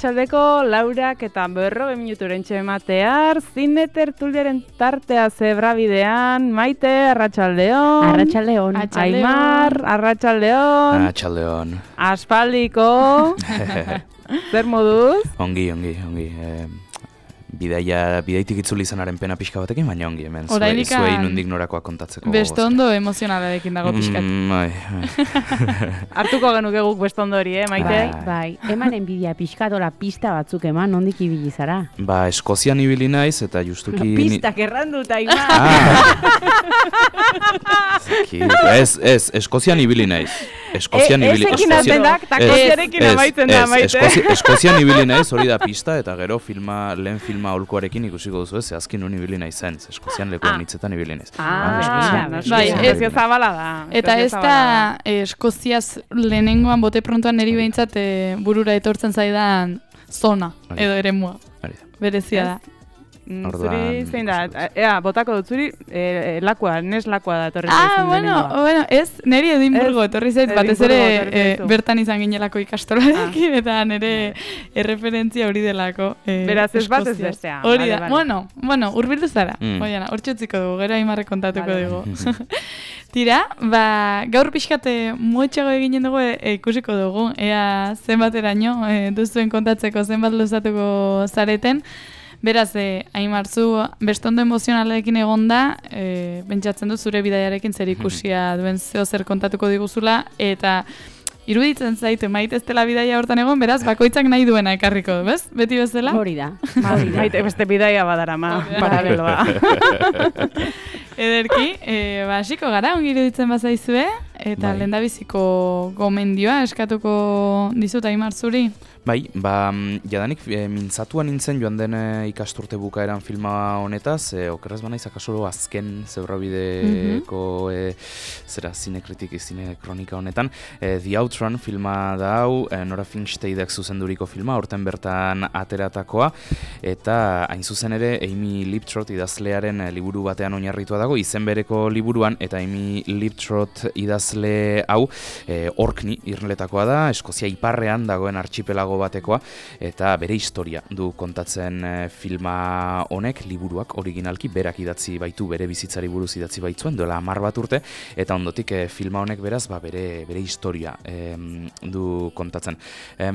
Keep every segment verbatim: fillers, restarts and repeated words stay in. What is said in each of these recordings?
Txaldeko Laurak eta berrogei minuturen txematear, zine tertuliaren tartea zebra bidean, Maite, Arratsaldeon. Arratsaldeon. Aimar, Arratsaldeon. Arratsaldeon. Aspaldiko. Zer moduz? Ongi, ongi, ongi. Eh, bidaia, bidaitik itzuli izanaren pena pixka batekin, baina ongi hemen. Zuei, zuei nundik norakoa kontatzeko. Bestondo emozionalarekin dago pixkat. Mm, bai, bai. Hartuko genuke guk bestondo hori, eh, Maite? Bai, bai. Eman enbidia pixkatola pista batzuk eman, nondik ibili zara? Ba, Eskozian ibili naiz eta justuki... Pistak erranduta, Aimar! Zaki, ez, ez, Eskozian ibili naiz. Eskozian ibili... Ezekin atendak, takoziarekin amaitzen da, Maite. Eskozian ibili naiz, hori da pista, eta gero filma, lehen filma holkoarekin ikusiko duzu ez, zehazkin honi ibili naiz zen, Eskozian lekuan hitzetan ibili naiz. Ah, bai, Eskozia zabala da. Eta ez da Eskoziaz lehenengoan bote prontoan niri behintzat burura etortzen zaidan zona, edo eremua. Berezia da. Zuri zein da, ea, botako dut zuri, e, lakua, nes lakua da etorri zaizen ah, bueno, bueno, ez, niri Edinburgo etorri zait, batez ere e, bertan izan ginelako ikastolarekin, ah. eta nire erreferentzia hori delako. E, Beraz ez bat ez bestea. Hori da, vale, bueno, bueno, urbildu zara, mm. oiana, hor txutziko dugu, gero Aimarre kontatuko vale. dugu. Tira, ba, gaur pixkate motxago eginen dugu e, ikusiko dugu, ea zenbateraino e, duzuen kontatzeko zenbat luzatuko zareten. Beraz, eh, Aimar, zu bestondo emozionalekin egonda, eh, pentsatzen du zure bidaiarekin zer ikusia duen zeo zer kontatuko diguzula, eta iruditzen zaitu Maite ez dela bidaia hortan egon, beraz, bakoitzak nahi duena ekarriko, bez? Beti bezala? Hori da. Maite beste bidaia badarama, paraleloa. Ederki, eh, ba, hasiko gara, ongi iruditzen bazaizue, eta bai. Lehendabiziko gomendioa eskatuko dizut Aimar zuri. Bai, ba, jadanik e, mintzatuan nintzen joan den e, ikasturte bukaeran filma honetaz, e, okerrez banaiz akasoro azken zebrabideko mm-hmm. e, zera zinekritik, zine kronika honetan. E, The Outrun filma da hau, e, Nora Finchsteidek zuzenduriko filma, horten bertan ateratakoa, eta hain zuzen ere Amy Liptrot idazlearen e, liburu batean oinarritua dago, izen bereko liburuan, eta Amy Liptrot idazle hau, e, Orkney irletakoa da, Eskozia iparrean dagoen archipelago batekoa, eta bere historia du kontatzen e, filma honek, liburuak originalki berak idatzi baitu, bere bizitzari buruz idatzi baitzuen, duela hamar bat urte, eta ondotik e, filma honek beraz, ba, bere, bere historia e, du kontatzen. E,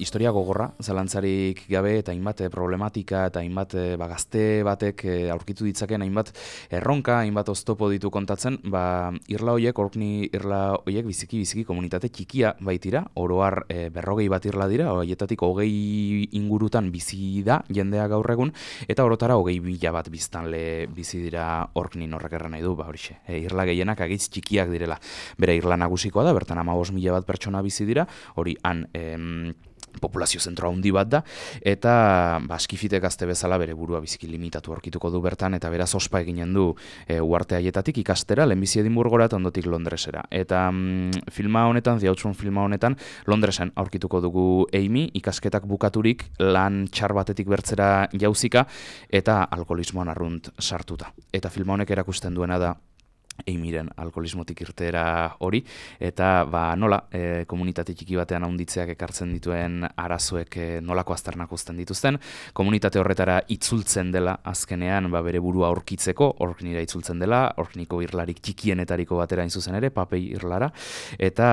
historia gogorra, zalantzarik gabe, eta hainbat problematika, eta hainbat e, ba, gazte batek e, aurkitu ditzaken, hainbat erronka, hainbat oztopo ditu kontatzen, ba, irla hoiek, Orkney irla hoiek, biziki, biziki komunitate txikia baitira, oroar e, berrogei bat irla dira, haietatik hogei ingurutan bizi da jendea gaur egun, eta orotara hogei bila bat biztanle bizi dira Orkney horrek erran nahi du, ba horixe. E, irla gehienak agitz txikiak direla. Bere irla nagusikoa da, bertan hamabost mila bat pertsona bizi dira, hori han em, populazio zentro handi bat da, eta ba, Skifitek gazte bezala bere burua biziki limitatu aurkituko du bertan, eta beraz ospa eginen du e, uarte haietatik ikastera, lehenbizi Edinburgora eta ondotik Londresera. Eta mm, filma honetan, The Outrun filma honetan, Londresen aurkituko dugu Amy, ikasketak bukaturik, lan txar batetik bertzera jauzika, eta alkoholismoan arrunt sartuta. Eta filma honek erakusten duena da, Amyren alkoholismotik irteera hori, eta ba, nola e, komunitate txiki batean handitzeak ekartzen dituen arazoek e, nolako aztarnak uzten dituzten, komunitate horretara itzultzen dela azkenean ba, bere burua aurkitzeko, Orkneyra itzultzen dela, Orkneyko irlarik txikienetariko batera hain zuzen ere, Papei irlara, eta,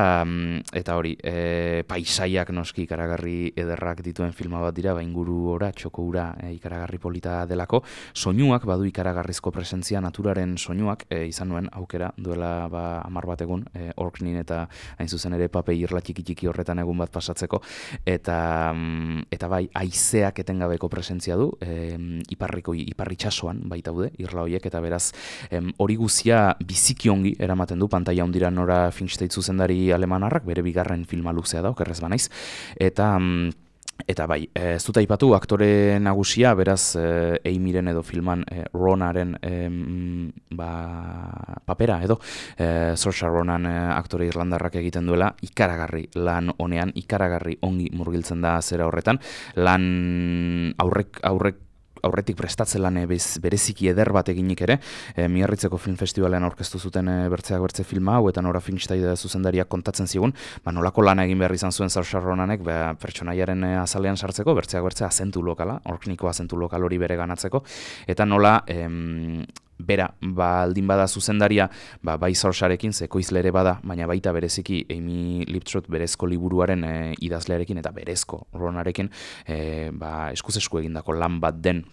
eta hori, e, paisaiak noski ikaragarri ederrak dituen filma bat dira, ba, inguru ora, txoko ura e, ikaragarri polita delako, soinuak, badu ikaragarrizko presentzia, naturaren soinuak, e, izan nuen aukera duela ba, hamar bat egun e, Orkneyn eta hain zuzen ere Papei irla txiki txiki horretan egun bat pasatzeko, eta eta bai haizeak etengabeko presentzia du, e, iparriko iparritxasoan baitaude irla hoiek, eta beraz em, hori guzia biziki ongi eramaten du pantaila hondira Nora Finchsteid zuzendari alemanarrak, bere bigarren filma luzea da, okerrez banaiz, eta Eta bai, ez dut aipatu aktore nagusia, beraz e, Amyren edo filman e, Ronaren e, ba, papera edo e, Saoirse Ronan e, aktore irlandarrak egiten duela, ikaragarri lan honean, ikaragarri ongi murgiltzen da zera horretan, lan aurrek aurrek aurretik prestatze lan bereziki eder bat eginik ere, e, Miarritzeko Film Festivalean aurkeztu zuten e, Bertzeak Bertze filma hau, eta Nora Finstein zuzendariak kontatzen zigun, ba, nolako lana egin behar izan zuen Saoirse Ronanek, ba, pertsonaiaren e, azalean sartzeko, Bertzeak Bertze azentu lokala, orkniko azentu lokal hori bere ganatzeko, eta nola em, bera, ba, aldin bada zuzendaria, ba, bai Saoirsearekin, ze ekoizle ere bada, baina baita bereziki Amy Liptrot berezko liburuaren e, idazlearekin eta berezko Ronarekin e, ba, eskuz esku egindako lan bat den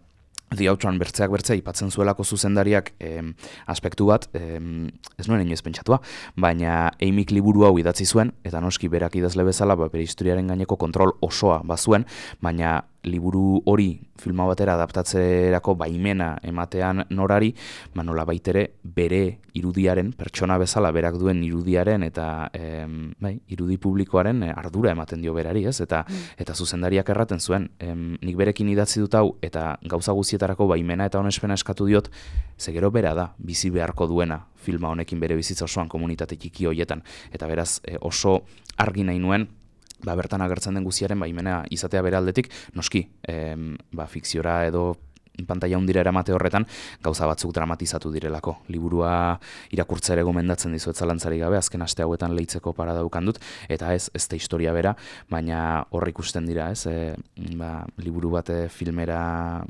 The Outrun Bertzeak Bertze ipatzen zuelako zuzendariak em, aspektu bat, em, ez nuen inoiz pentsatua, baina Amyk liburu hau idatzi zuen, eta noski berak idazle bezala, ba, bere historiaren gaineko kontrol osoa bazuen, baina liburu hori filma batera adaptatzerako baimena ematean Norari, ba, nola baitere bere irudiaren, pertsona bezala berak duen irudiaren eta em, bai, irudi publikoaren ardura ematen dio berari, ez? Eta, mm. eta zuzendariak erraten zuen, em, nik berekin idatzi dut hau, eta gauza guztietarako baimena eta onespena eskatu diot, ze gero bera da, bizi beharko duena filma honekin bere bizitza osoan komunitate txiki horietan, eta beraz e, oso argi nahi nuen, ba, bertan agertzen den guztiaren baimena izatea bere aldetik, noski, em, ba, fikziora edo pantaila hundira eramate horretan gauza batzuk dramatizatu direlako. Liburua irakurtzea ere gomendatzen dizuet zalantzarik gabe, azken aste hauetan leitzeko parada ukan dut, eta ez, ez da historia bera, baina hor ikusten dira, ez, e, ba, liburu bate filmera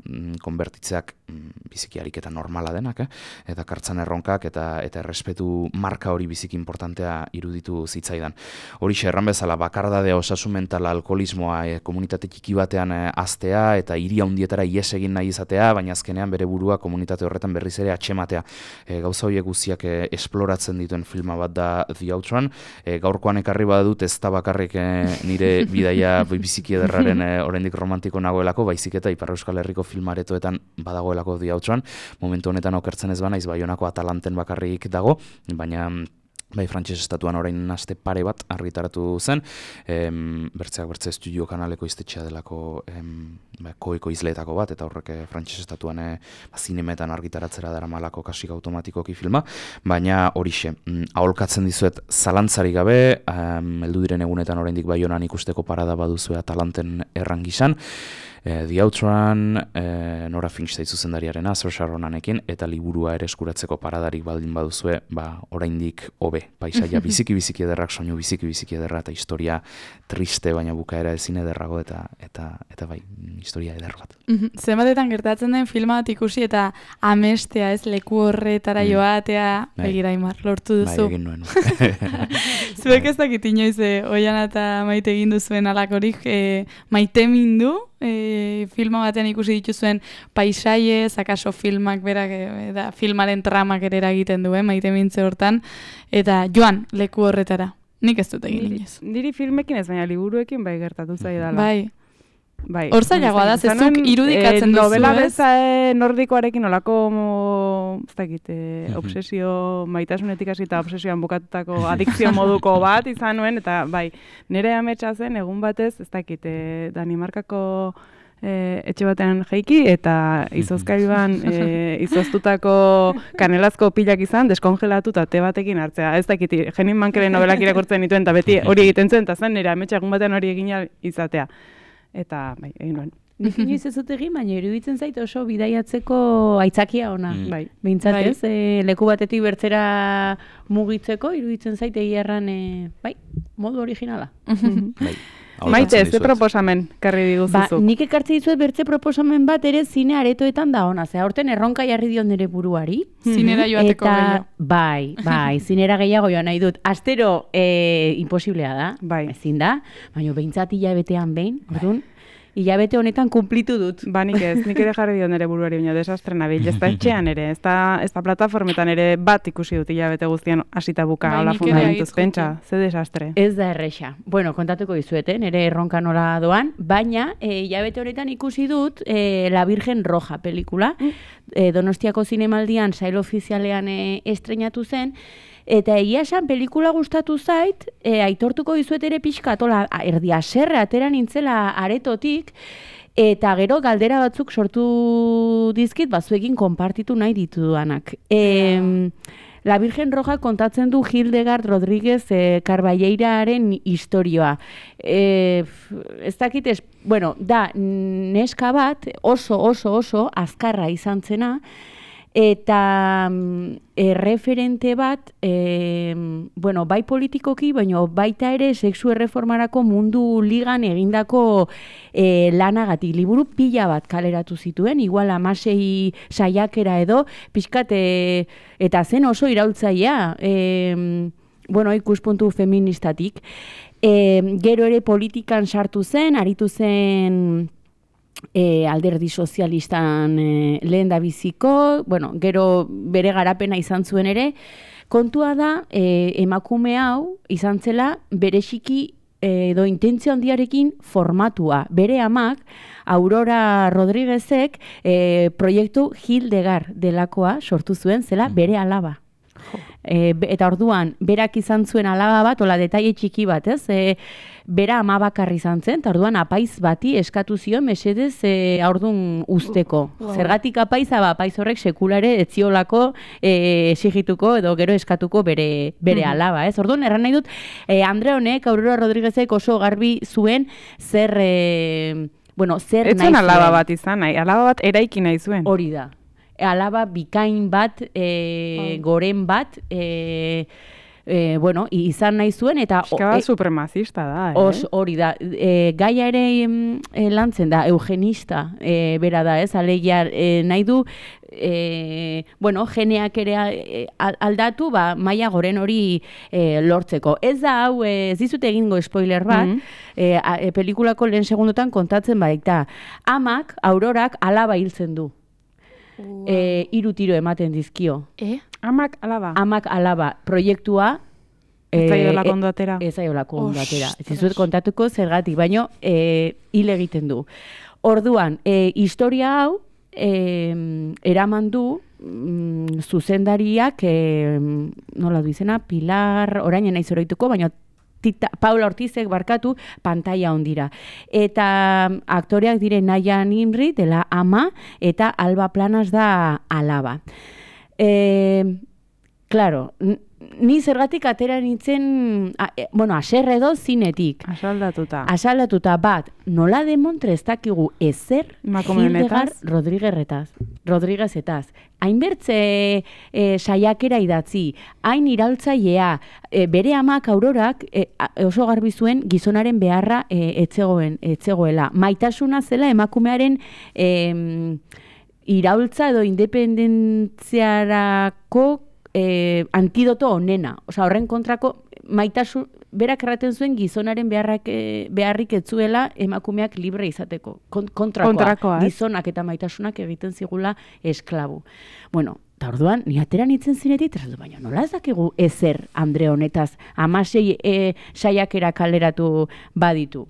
mm, konbertitzeak mm, biziki ariketa normala denak, eh? Eta kartzan erronkak eta eta errespetu marka hori biziki importantea iruditu zitzaidan. Horixe erran bezala, bakardadea, osasun mentala, alkoholismoa, e, komunitate txiki batean e, aztea eta hiri handietara ies egin nahi izatea, baina azkenean bere burua komunitate horretan berriz ere atxematea. E, gauza horiek guztiak e, esploratzen dituen filma bat da The Outrun. E, gaurkoan ekarri badut ez da bakarrik e, nire bidaia biziki ederraren e, oraindik romantiko nagoelako, baizik eta Ipar Euskal Herriko filmaretoetan badagoelako The Outrun. Momentu honetan okertzen ez banaiz, Baionako Atalanten bakarrik dago, baina bai, frantses estatuan orain aste pare bat argitaratu zen, em, Bertzeak Bertze Estudio kanaleko iztetxea delako em, ba, koeko izleetako bat, eta horrek frantses estatuan e, ba, zinemetan argitaratzera daramalako kasik automatikoki filma, baina horixe, mm, aholkatzen dizuet zalantzarik gabe, em, heldu diren egunetan oraindik Baionan ikusteko parada baduzue Atalanten errangisan, E, The Outrun, e, Nora Finstein zuzendariarena, Saoirse Ronanekin, eta liburua ere eskuratzeko paradarik baldin baduzue, ba, oraindik hobe, paisaia biziki-biziki ederrak, soinu biziki-biziki ederra, eta historia triste, baina bukaera ezin ederrago, eta eta eta bai, historia eder bat. Mm-hmm. Zenbatetan gertatzen den filma bat ikusi, eta amestea, ez, leku horretara mm. joatea, begira Aimar, lortu duzu. Bai, egin nuen. Zuek ez dakit inoiz, e, Oiana eta Maite egin duzuen alakorik, e, maite mindu, E, filma batean ikusi dituzuen paisaiez, akaso filmak berak, e, da, filmaren tramak ere eragiten duen, maite mintze hortan, eta joan leku horretara. Nik ez dut egin inoiz. Niri filmekin ez, baina liburuekin bai gertatu zaidala. Bai. Bai. Hor zailagoa da, zezuk irudikatzen e, duzu, novela ez? beza e, nordikoarekin olako, ez dakit, e, obsesio, maitasunetik hasita obsesioan bukatutako adikzio moduko bat izan nuen, eta bai, nire ametsa zen, egun batez, ez dakit, e, Danimarkako e, etxe batean jaiki, eta izozkailuan e, izoztutako kanelazko pilak izan, deskongelatu eta te batekin hartzea. Ez dakit, Jenin Mankeren novelak irakurtzen dituen, eta beti hori egiten zuen, eta zen nire ametsa egun batean hori egin izatea. Eta, bai, egin nuen. Nik inoiz ez dut egin, baina iruditzen zait oso bidaiatzeko aitzakia ona. Mm. Bai. Behintzatez, bai. E, leku batetik bertzera mugitzeko, iruditzen zait egia erran, e, bai, modu originala. Bai. Maite, ze proposamen karri diguzuzu? Ba, nik ekartze dizuet bertze proposamen bat ere zine aretoetan da ona. Ze aurten erronka jarri dion nire buruari. Zinera joateko gehiago. Bai, bai, zinera gehiago joan nahi dut. Astero e, imposiblea da, bai. Ezin da, baina behintzat hilabetean behin, orduan, hilabete honetan kumplitu dut. Ba, nik ez, nik ere jarri dion nire buruari, baina desastre nabil. Ez da etxean ere, ez da, ez da plataformetan ere bat ikusi dut hilabete guztian hasita buka, hola fundamentuz, pentsa, ze desastre. Ez da erresa. Bueno, kontatuko dizueten, ere erronka nola doan, baina e, hilabete honetan ikusi dut e, La Virgen Roja pelikula, e, Donostiako zinemaldian sail ofizialean e, estrenatu zen, eta egia esan pelikula gustatu zait, e, aitortuko dizuet ere pixkat, ola, erdi aserre atera nintzela aretotik, eta gero galdera batzuk sortu dizkit, bazuekin konpartitu nahi ditudanak. E, La Virgen Roja kontatzen du Hildegard Rodríguez e, Carballeiraren historioa. E, ez dakit, ez, bueno, da, neska bat oso, oso, oso azkarra izan zena, eta e, referente bat, e, bueno, bai politikoki, baina baita ere sexu erreformarako mundu ligan egindako e, lanagatik. Liburu pila bat kaleratu zituen, igual amasei saiakera edo, pixkat, e, eta zen oso iraultzailea, e, bueno, ikuspuntu feministatik. E, gero ere politikan sartu zen, aritu zen E, alderdi sozialistan e, lehen da biziko, bueno, gero bere garapena izan zuen ere, kontua da e, emakume hau izan zela bereziki edo intentzio handiarekin formatua. Bere amak, Aurora Rodríguezek, e, proiektu Hildegard delakoa sortu zuen zela bere alaba. E, eta orduan, berak izan zuen alaba bat, ola detaile txiki bat, ez? E, bera ama bakarri izan zen, eta orduan apaiz bati eskatu zion mesedez e, aurdun usteko. Wow. Zergatik apaiza, ba, apaiz horrek sekulare etziolako e, esigituko edo gero eskatuko bere, bere mm-hmm. alaba, ez? Orduan, erran nahi dut, e, Andre honek, Aurora Rodríguezek oso garbi zuen zer, e, bueno, zer nahi zuen. Etzen alaba bat izan nahi, alaba bat eraiki nahi zuen. Hori da. Alaba bikain bat, e, oh. goren bat, e, e, bueno, izan nahi zuen, eta... Eskaba e, supremazista da, eh? Os, hori da. E, gaia ere e, lantzen da, eugenista, e, bera da, ez? Alegia e, nahi du, e, bueno, geneak ere e, aldatu, ba, maila goren hori e, lortzeko. Ez da, hau, ez dizute egingo spoiler bat, mm-hmm. e, a, e, pelikulako lehen segundotan kontatzen baita. Amak, Aurorak, alaba hiltzen du. Wow. E, iru tiro ematen dizkio. Eh? Amak alaba. Amak alaba. Proiektua... Ez zaiola kondo atera. Ez zaiola kondo atera. Ez dizuet kontatuko zergatik, baino e, hil egiten du. Orduan, e, historia hau e, eraman du mm, zuzendariak, e, nola du izena, Pilar, orain naiz oroituko, baino Tita, Paula Ortizek barkatu pantaila ondira. Eta aktoreak dire Naya Nimri dela ama eta Alba Planas da alaba. E, claro, ni zergatik atera nintzen, a, e, bueno, aserre edo zinetik. Asaldatuta. Asaldatuta bat, nola demontre ez dakigu ezer Hildegard Rodríguezretaz. Rodríguezetaz. Hainbertze e, saiakera idatzi, hain iraultzailea, e, bere amak Aurorak e, oso garbi zuen gizonaren beharra e, etzegoen, etzegoela. Maitasuna zela emakumearen e, iraultza edo independentziarako e, antidoto onena. Osa, horren kontrako maitasun, berak erraten zuen gizonaren beharrak, e, beharrik etzuela emakumeak libre izateko. Kontrakoa, kontrakoa gizonak eta maitasunak egiten zigula esklabu. Bueno, eta orduan, ni atera nintzen zinetik, eta baina nola ez dakigu ezer Andre honetaz, amasei e, saiakera kaleratu baditu.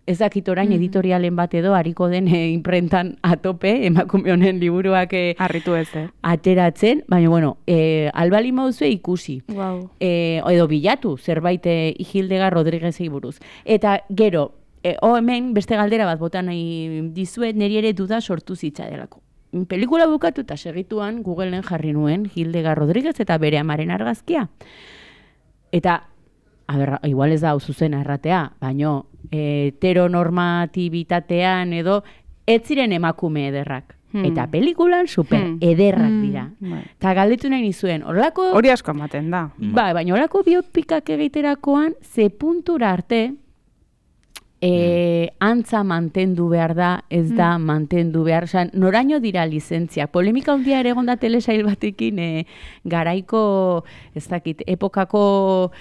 Ez dakit orain mm-hmm. editorialen bat edo hariko den e, imprentan atope, emakume honen liburuak e, harritu ez, eh? ateratzen, baina bueno, e, albali mauzue ikusi. Wow. E, edo bilatu, zerbait e, Hildegard Rodríguezei buruz. Eta gero, e, o hemen beste galdera bat botan nahi dizuet, niri ere duda sortu zitzadelako. Pelikula bukatu eta segituan Googleen jarri nuen Hildegard Rodríguez eta bere amaren argazkia. Eta, a ber, igual ez da hau zuzena erratea, baino heteronormatibitatean edo ez ziren emakume ederrak. Hmm. Eta pelikulan super hmm. ederrak dira. Hmm. Eta galdetu nahi nizuen, horrelako... Hori asko ematen da. Ba, baina horrelako biopikak egiterakoan, ze puntura arte e, antza mantendu behar da, ez da hmm. mantendu behar. Osa, noraino dira lizentziak. Polemika handia ere egon da telesail batekin, e, garaiko, ez dakit, epokako...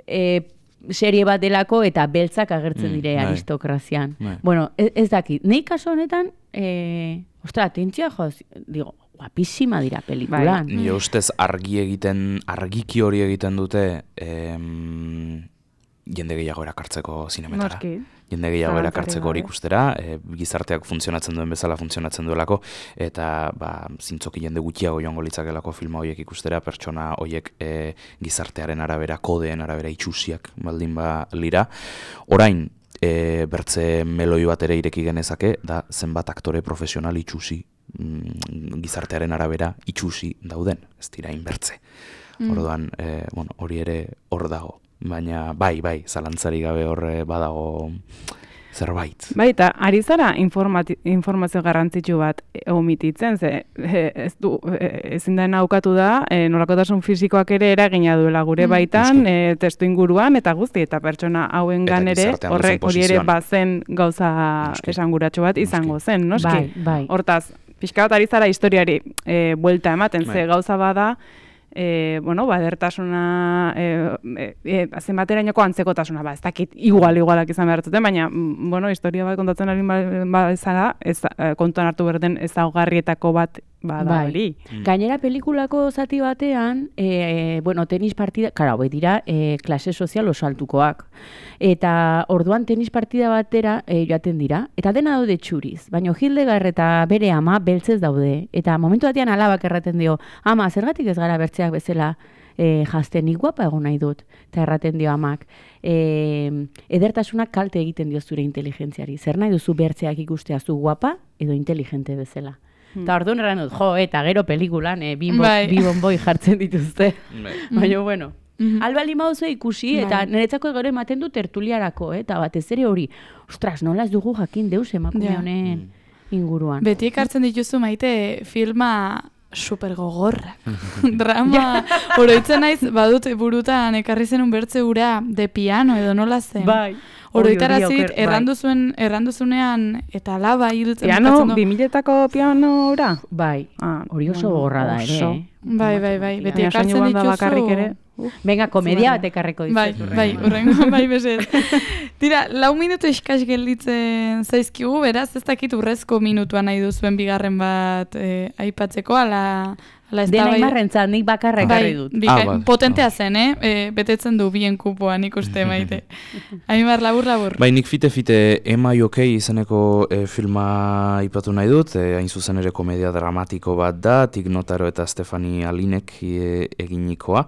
E, serie bat delako eta beltzak agertzen dire mm, aristokrazian. Bai. Bueno, ez, ez dakit. Nei kaso honetan, eh, ostra, atentzia joz, digo, guapísima dira pelikulan. Bai, nire ustez argi egiten, argiki hori egiten dute em, jende gehiago erakartzeko zinemetara. Norki. Jende gehiago erakartzeko hori ikustera, e, gizarteak funtzionatzen duen bezala funtzionatzen duelako, eta ba, zintzoki jende gutxiago joango litzakelako filma horiek ikustera, pertsona horiek e, gizartearen arabera, kodeen arabera itxusiak baldin ba lira. Orain, e, bertze meloi bat ere ireki genezake, da zenbat aktore profesional itxusi, mm, gizartearen arabera itxusi dauden, ez dira inbertze. Mm. Orduan, e, bueno, hori ere hor dago. Baina, bai, bai, zalantzari gabe horre badago zerbait. Bai, eta ari zara informazio garrantzitsu bat omititzen, ze ez du, ezin da naukatu da, e, nolakotasun fisikoak ere eragina duela gure baitan, mm. e, testu inguruan, eta guzti, eta pertsona hauengan ere, horrek hori ere bazen gauza esanguratxo bat izango zen, noski? Bai, bai. Hortaz, pixka bat ari zara historiari e, buelta ematen, bai. Ze gauza bada, E, bueno, badertasuna, e, e, zenbaterainoko antzekotasuna, ba, ez dakit igual, igualak izan behar zuten, baina, bueno, historia bat kontatzen ari bazara, ez, kontuan hartu berden ezaugarrietako bat bada hori. Bai. Gainera pelikulako zati batean, e, bueno, tenis partida, kara, hoi dira, e, klase sozial oso altukoak. Eta orduan tenis partida batera e, joaten dira, eta dena daude txuriz, baina Hildegard eta bere ama beltzez daude, eta momentu batean alabak erraten dio, ama, zergatik ez gara bertzeak bezala e, jazten, nik guapa egon nahi dut, eta erraten dio amak, e, edertasunak kalte egiten dio zure inteligentziari, zer nahi duzu bertzeak ikustea zu guapa edo inteligente bezala. Eta hmm. orduan erran dut, jo, eta gero pelikulan e, bi bonboi jartzen dituzte, baina bueno. Mm-hmm. Alba limauzo ikusi, eta bai. Niretzako gero ematen du tertuliarako, eh? Eta batez ere hori, ostras, nola ez dugu jakin deus emakume honen yeah. inguruan. Beti ekartzen dituzu Maite filma super gogorra. Drama, oroitzen naiz, badut burutan ekarri zenun bertze ura de piano edo nola zen. Bai. Oroitarazit, erranduzuen, erranduzunean eta laba hiltzen. Piano, bimiletako pianora? Bai, hori oso gogorra da ere. Bai, bai, bai, beti ekartzen dituzu. Venga, komedia bat ekarreko dizuet. Bai, bai, urrengo, bai, bezet. Tira, lau minutu eskas gelditzen zaizkigu, beraz, ez dakit urrezko minutua nahi duzuen bigarren bat eh, aipatzeko, ala... Dena imarrentzat, nik bakarra ekarri dut. Ah, ah, potentea zen, eh? E, betetzen du bien kupoa, nik uste Maite. Aimar, labur, labur. Bai, nik fite-fite Am I OK izeneko e, filma ipatu nahi dut, e, hain zuzen ere komedia dramatiko bat da, Tig Notaro eta Stefani Alinek e, eginikoa.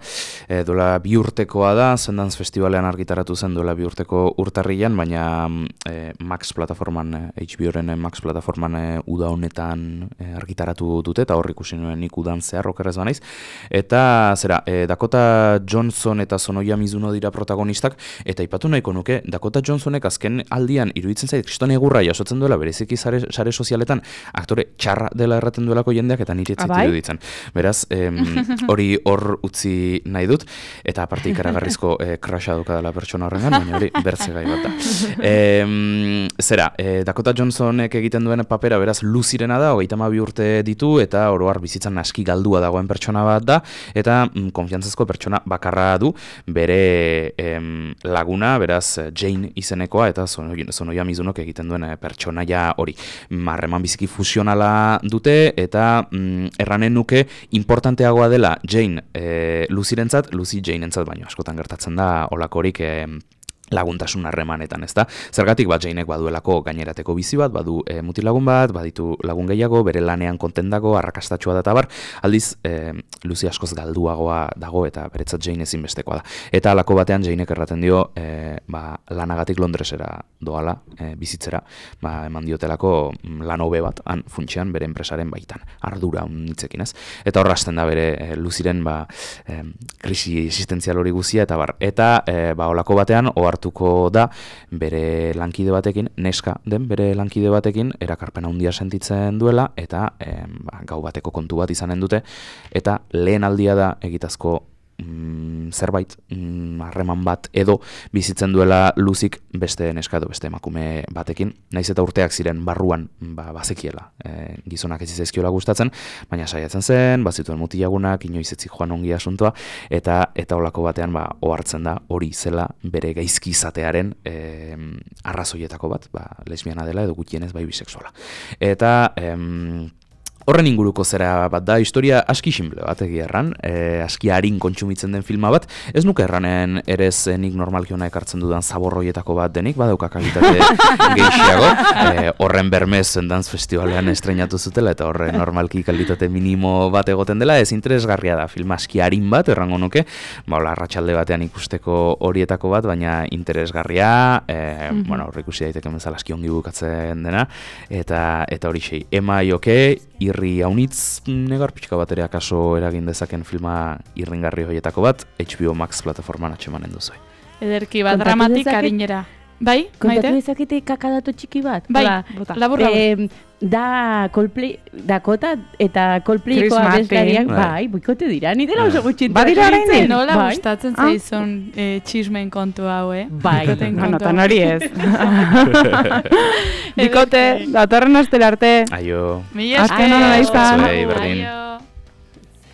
E, dola bi urtekoa da, Sundance Festivalean argitaratu zen dola bi urteko urtarrian, baina e, Max plataforman, H B O-ren Max plataforman e, uda honetan e, argitaratu dute, eta hor ikusi nuen nik udan zehar okerrez banaiz, eta zera, e, Dakota Johnson eta Sonoya Mizuno dira protagonistak, eta ipatu nahiko nuke, Dakota Johnsonek azken aldian iruditzen zait, kriston egurra jasotzen duela, bereziki sare, sare sozialetan, aktore txarra dela erraten duelako jendeak, eta nire etzit iruditzen. Beraz, hori em, hor utzi nahi dut, eta aparte ikaragarrizko e, krasha duka dela pertsona horrengan, baina hori bertze gai bat da. E, zera, e, Dakota Johnsonek egiten duen papera, beraz, luzirena da, hogeita hamabi urte ditu, eta oroar bizitzan aski galdua dagoen pertsona bat da, eta mm, konfiantzazko pertsona bakarra du, bere em, laguna, beraz Jane izenekoa, eta Sonoya Mizunok egiten duen pertsonaia hori. Harreman biziki fusionala dute, eta mm, erranen nuke importanteagoa dela Jane e, Lucyrentzat, Lucy Janeentzat baino askotan gertatzen da olakorik e, laguntasun harremanetan, ezta? Zergatik bat Jainek baduelako gainerateko bizi bat, badu e, mutilagun bat, baditu lagun gehiago, bere lanean kontendago, arrakastatxua da tabar, aldiz e, Lucy askoz galduagoa dago eta beretzat Jane ezinbestekoa da. Eta halako batean Jainek erraten dio e, ba, lanagatik Londresera doala e, bizitzera, ba, eman diotelako lan hobe bat, han funtsean bere enpresaren baitan, ardura unitzekin, ez? Eta horra hasten da bere e, Lucyren ba, e, krisi existentzial hori guzia, eta bar, eta e, ba, holako batean, ohar hartuko da bere lankide batekin, neska den bere lankide batekin, erakarpen handia sentitzen duela, eta eh, ba, gau bateko kontu bat izanen dute, eta lehen aldia da egitazko mm, zerbait, harreman mm, bat edo bizitzen duela Luzik beste neska edo beste emakume batekin, naiz eta urteak ziren barruan ba, bazekiela, e, gizonak ez zaizkiola gustatzen, baina saiatzen zen, bazituen mutilagunak, inoiz etzik joan ongi asuntoa, eta eta holako batean ba, ohartzen da hori zela bere gaizki izatearen e, arrazoietako bat, ba, lesbiana dela edo gutienez bai bisexuala. Eta em, horren inguruko zera bat da, historia aski simple bat egia erran, e, aski harin kontsumitzen den filma bat, ez nuke erranen ere nik normalki hona ekartzen dudan zaborroietako bat denik, badauka kalitate gehiago, e, horren bermez Sundance Festivalean estrenatu zutela, eta horren normalki kalitate minimo bat egoten dela, ez interesgarria da, filma aski harin bat, errango nuke, ba, hola, arratsalde batean ikusteko horietako bat, baina interesgarria, e, mm-hmm. bueno, horre ikusi daiteke bezala aski ongi bukatzen dena, eta eta hori sei, Am I OK? irri haunitz negar pixka bat ere akaso eragin dezaken filma irringarri horietako bat, H B O Max plataforman atxemanen duzu. Ederki bat, dramatik harinera. Bai, Kontatu Maite? dezakete kakadatu txiki bat? Bai, Hola, labur, labur. Eh, da Coldplay, Dakota eta Coldplayko Chris abeslariak, Martin. bai, boikote dira, ni dela oso gutxi. Badira oraindik? Nola bai. gustatzen Ah. zaizun eh, txismen kontu hau, eh? Bai. Bikoteen Bueno, kontu tan hau. hori ez. Bikote, datorren astera arte. Aio. Mila Azken ona izan. Zuei, berdin. Aio.